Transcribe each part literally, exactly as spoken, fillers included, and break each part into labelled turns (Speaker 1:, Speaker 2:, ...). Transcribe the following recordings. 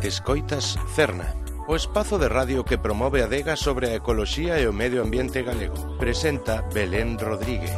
Speaker 1: Escoitas Cerna, o espazo de radio que promove a adega sobre a ecoloxía e o medio ambiente galego. Presenta Belén Rodríguez.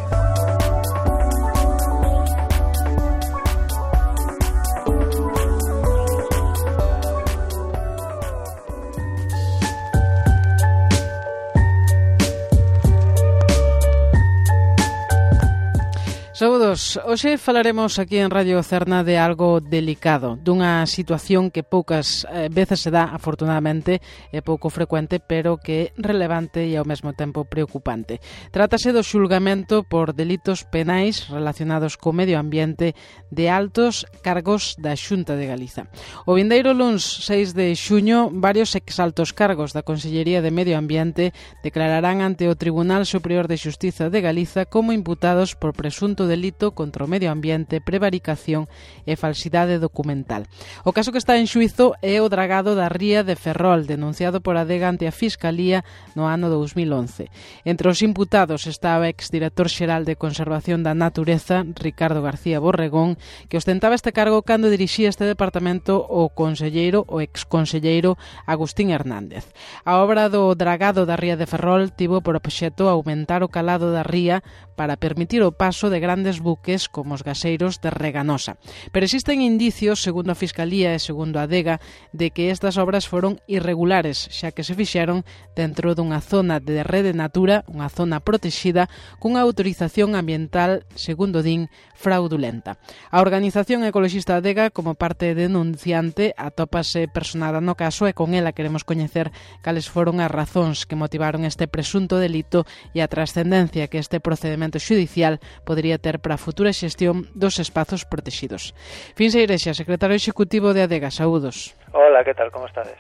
Speaker 2: Saúdos, hoxe falaremos aquí en Radio Cerna de algo delicado, dunha situación que poucas eh, veces se dá, afortunadamente, é pouco frecuente, pero que é relevante e ao mesmo tempo preocupante. Trátase do xulgamento por delitos penais relacionados co medio ambiente de altos cargos da Xunta de Galiza. O vindeiro luns seis de xuño, varios exaltos cargos da Consellería de Medio Ambiente declararán ante o Tribunal Superior de Xustiza de Galiza como imputados por presunto delito contra o medio ambiente, prevaricación e falsidade documental. O caso que está en xuízo é o dragado da ría de Ferrol, denunciado por Adega ante a Fiscalía no ano dous mil once. Entre os imputados está o exdirector xeral de Conservación da Natureza, Ricardo García Borregón, que ostentaba este cargo cando dirixía este departamento o conselleiro, o exconselleiro Agustín Hernández. A obra do dragado da ría de Ferrol tivo por obxecto aumentar o calado da ría para permitir o paso de grandes buques como os gaseiros de Reganosa. Pero existen indicios, segundo a Fiscalía e segundo a Adega, de que estas obras foron irregulares, xa que se fixeron dentro dunha zona de rede natura, unha zona protexida, cunha autorización ambiental, segundo din, fraudulenta. A organización ecoloxista Adega, como parte denunciante, atópase personada no caso e con ela queremos coñecer cales foron as razóns que motivaron este presunto delito e a trascendencia que este procedemento xudicial podría ter para a futura xestión dos espazos protegidos. Finse Irexa, secretario executivo de Adega, saúdos.
Speaker 3: Hola, que tal, como estades?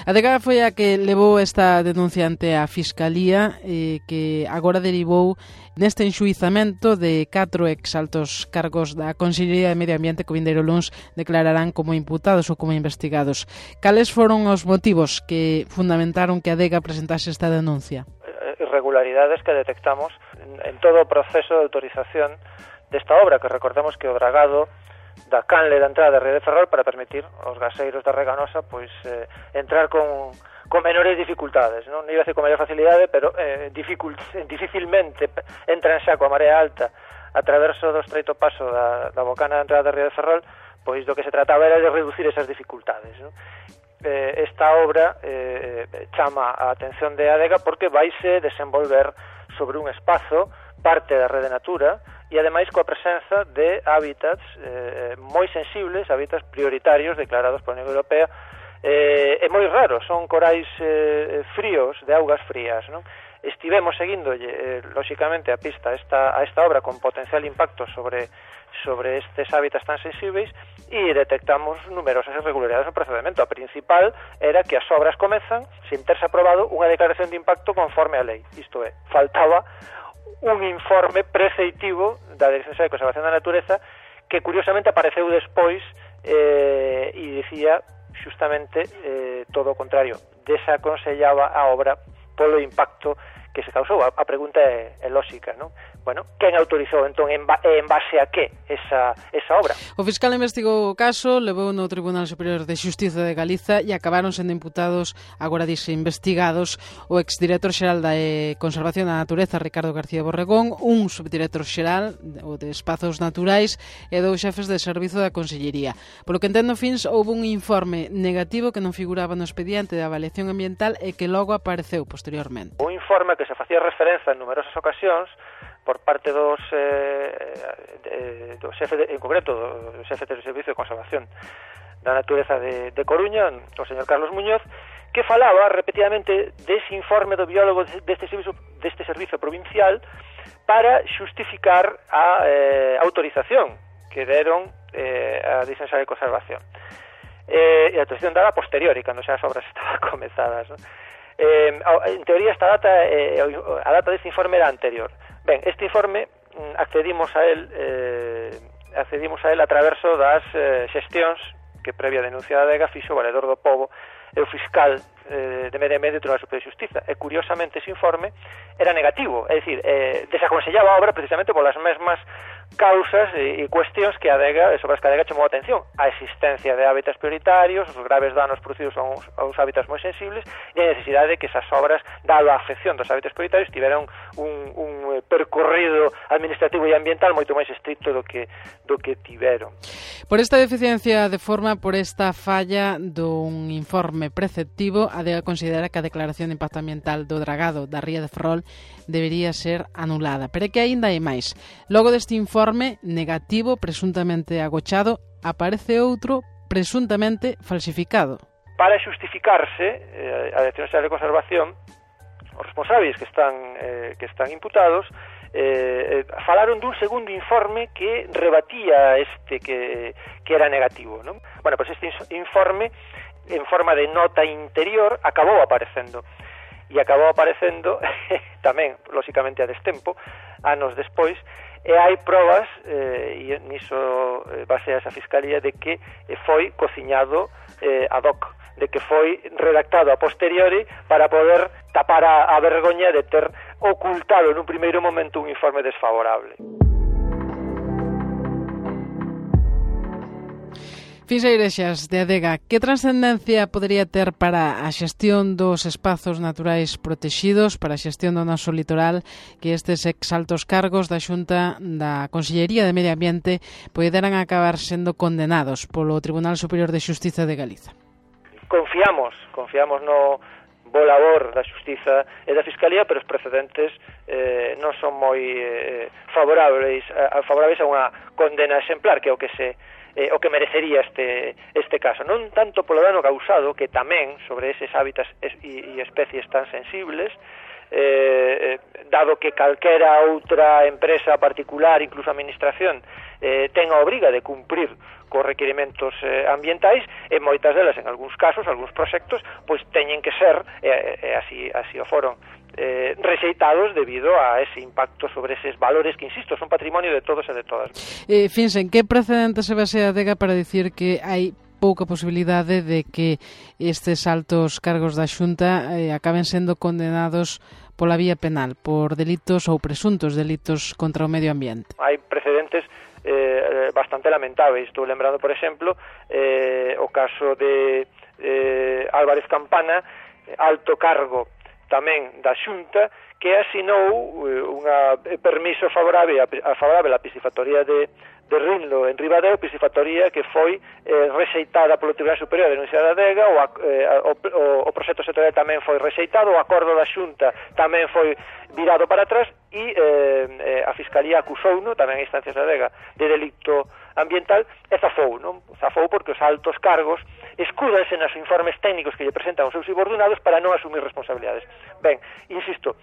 Speaker 2: Adega foi a que levou esta denuncia ante a Fiscalía eh, que agora derivou neste enxuizamento de catro exaltos cargos da Consellería de Medio Ambiente que o vindeiro luns declararán como imputados ou como investigados. Cales foron os motivos que fundamentaron que Adega presentase esta denuncia?
Speaker 3: Irregularidades que detectamos en todo o proceso de autorización desta obra, que recordamos que o dragado da canle da entrada da ría de Ferrol para permitir aos gaseiros da Reganosa pois eh, entrar con, con menores dificultades, non iba a decir con maior facilidade, pero eh, dificult, dificilmente entran xa coa marea alta a traverso do estreito paso da, da bocana da entrada da ría de Ferrol, pois do que se trataba era de reducir esas dificultades, non? Eh, esta obra eh, chama a atención de Adega porque vaise desenvolver sobre un espazo parte da rede natura e ademais coa presenza de hábitats eh, moi sensibles, hábitats prioritarios declarados pola Unión Europea eh, e moi raros, son corais eh, fríos, de augas frías, non? Estivemos seguíndolle, eh, lóxicamente, a pista a esta, a esta obra con potencial impacto sobre sobre estes hábitats tan sensibles e detectamos numerosas irregularidades no procedimento. A principal era que as obras comezan sin terse aprobado unha declaración de impacto conforme a lei. Isto é, faltaba un informe preceitivo da Dirección de Conservación da Natureza que curiosamente apareceu despois eh, e dicía xustamente eh, todo o contrario. Desaconsellaba a obra polo impacto que se causou. A, a pregunta é, é lóxica, non? Bueno, quen autorizou entón en, ba en base a que esa, esa obra?
Speaker 2: O fiscal investigou o caso, levou no Tribunal Superior de Xustiza de Galiza e acabaron sendo imputados, agora dixe investigados, o exdirector xeral da eh, Conservación da Natureza, Ricardo García Borregón, un subdirector xeral, o de Espazos Naturais, e dous xefes de servizo da Consellería. Polo que entendo, fins, houve un informe negativo que non figuraba no expediente de avaliación ambiental e que logo apareceu posteriormente.
Speaker 3: Un informe que se facía referencia en numerosas ocasións por parte dos eh, do xefe de, en concreto do xefe do Servicio de Conservación da Natureza de, de Coruña, o señor Carlos Muñoz, que falaba repetidamente dese informe do biólogo deste servicio, deste servicio provincial para xustificar a eh, autorización que deron eh, a Dirección de Conservación. Eh, e a autorización dada a posteriori, cando xa as obras estaban comezadas, non? Eh, en teoría esta data eh, a data deste informe era anterior. Ben, este informe accedimos a él eh, accedimos a él a traverso das eh, xestións que previa denuncia da Adega fixo o Valedor do Pobo e o fiscal eh, de Medio Ambiente do Tribunal Superior de Xustiza. E curiosamente ese informe era negativo, é dicir, eh, desaconsellaba a obra precisamente polas mesmas causas e, e cuestións que a adega, sobre as que a adega chamou a atención: a existencia de hábitats prioritarios, os graves danos producidos a uns, a uns hábitats moi sensibles e a necesidade de que esas obras, dado a afección dos hábitats prioritarios, tiveran un, un percorrido administrativo e ambiental moito máis estricto do que, do que tiveron.
Speaker 2: Por esta deficiencia de forma, por esta falla dun informe preceptivo, a adega considera que a declaración de impacto ambiental do dragado da ría de Ferrol debería ser anulada. Pero é que aínda hai máis. Logo deste informe negativo, presuntamente agochado, aparece outro presuntamente falsificado.
Speaker 3: Para xustificarse, eh, a Dirección Xeral de Conservación, os responsables que están eh, que están imputados eh, falaron dun segundo informe que rebatía este que, que era negativo, non? Bueno, pois este informe, en forma de nota interior, acabou aparecendo. E acabou aparecendo tamén, lóxicamente, a destempo, anos despois, e hai probas, eh, e niso eh, basea esa Fiscalía, de que eh, foi cociñado eh, ad hoc, de que foi redactado a posteriori para poder tapar a, a vergoña de ter ocultado nun primeiro momento un informe desfavorable.
Speaker 2: Fins Eirexas, de Adega, que trascendencia podería ter para a xestión dos espazos naturais protexidos, para a xestión do noso litoral, que estes exaltos cargos da Xunta da Consellería de Medio Ambiente poderan acabar sendo condenados polo Tribunal Superior de Xustiza de Galiza?
Speaker 3: Confiamos, confiamos no bo labor da Xustiza e da Fiscalía, pero os precedentes eh, non son moi eh, favorables, a, favorables a unha condena exemplar, que é o que se Eh, o que merecería este este caso, non tanto polo dano causado, que tamén sobre eses hábitats e, e especies tan sensibles, eh, dado que calquera outra empresa particular, incluso a administración, eh, ten a obriga de cumprir cos requerimentos eh, ambientais, e moitas delas, en algúns casos, algúns proxectos, pois teñen que ser, e eh, eh, así, así o foron, Eh, rexeitados debido a ese impacto sobre eses valores que, insisto, son patrimonio de todos e de todas.
Speaker 2: Eh, Finsen, que precedente se basea a adega para dicir que hai pouca posibilidade de que estes altos cargos da Xunta eh, acaben sendo condenados pola vía penal, por delitos ou presuntos delitos contra o medio ambiente?
Speaker 3: Hai precedentes eh, bastante lamentables. Estou lembrando, por exemplo, eh, o caso de eh, Álvarez Campana, alto cargo tamén da Xunta, que asinou eh, unha permiso favorable a, a favorable á piscifactoría de, de Rinlo en Ribadeo, piscifactoría que foi eh, rexeitada polo Tribunal Superior de Universidade da Adega, o, eh, o, o, o proxecto sectorial tamén foi rexeitado, o acordo da Xunta tamén foi virado para atrás, e eh, eh, a Fiscalía acusouno, tamén a instancias da Adega, de delito ambiental, e zafou, non? Zafou porque os altos cargos escúdanse nos informes técnicos que lle presentan os seus subordinados para non asumir responsabilidades. Ben, insisto,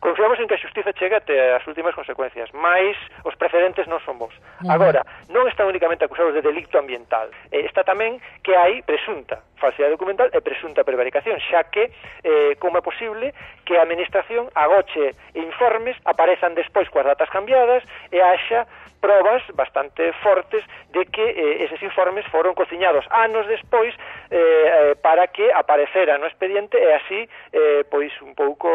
Speaker 3: confiamos en que a xustiza chegue até as últimas consecuencias, mais os precedentes non son bons. Agora, non están únicamente acusados de delito ambiental, eh, está tamén que hai presunta falsidade documental e presunta prevaricación, xa que eh, como é posible que a administración agoche informes, aparezan despois coas datas cambiadas e haxa probas bastante fortes de que eh, eses informes foron cociñados anos despois eh, para que aparecera no expediente e así eh, pois un pouco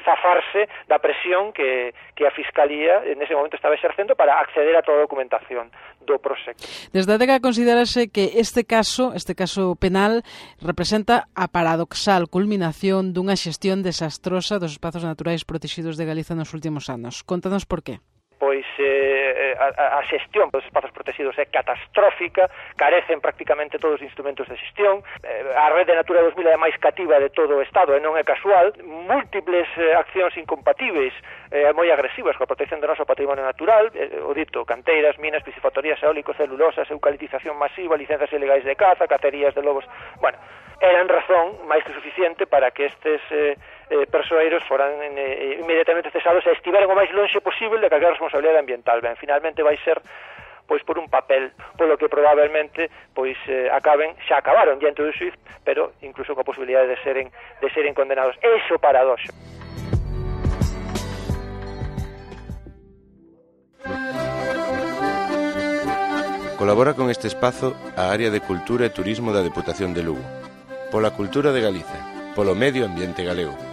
Speaker 3: zafarse da presión que, que a Fiscalía en ese momento estaba exercendo para acceder a toda a documentación do proxecto.
Speaker 2: Desde a adega considerase que este caso, este caso penal, representa a paradoxal culminación dunha xestión desastrosa dos espazos naturais protegidos de Galiza nos últimos anos. Contanos por qué.
Speaker 3: Pois eh, a, a xestión dos espazos protegidos é catastrófica, carecen prácticamente todos os instrumentos de xestión, eh, a Rede Natura dos mil é a máis cativa de todo o Estado e non é casual, múltiples eh, accións incompatibles e eh, moi agresivas coa protección do noso patrimonio natural, eh, o dito, canteiras, minas, piscifactorías eólicos, celulosas, eucaliptización masiva, licencias ilegais de caza, cacerías de lobos, bueno, eran razón máis que suficiente para que estes eh, eh, persoeiros foran eh, inmediatamente cesados e estiveran o máis lonxe posible de calquera responsabilidade ambiental. Ben, finalmente vai ser pois por un papel, polo que probablemente pois eh, acaben, xa acabaron diante do xuíz, pero incluso coa posibilidade de seren de seren condenados. Eso paradoxo.
Speaker 1: Colabora con este espazo a área de Cultura e Turismo da Deputación de Lugo. Pola cultura de Galiza, polo medio ambiente galego.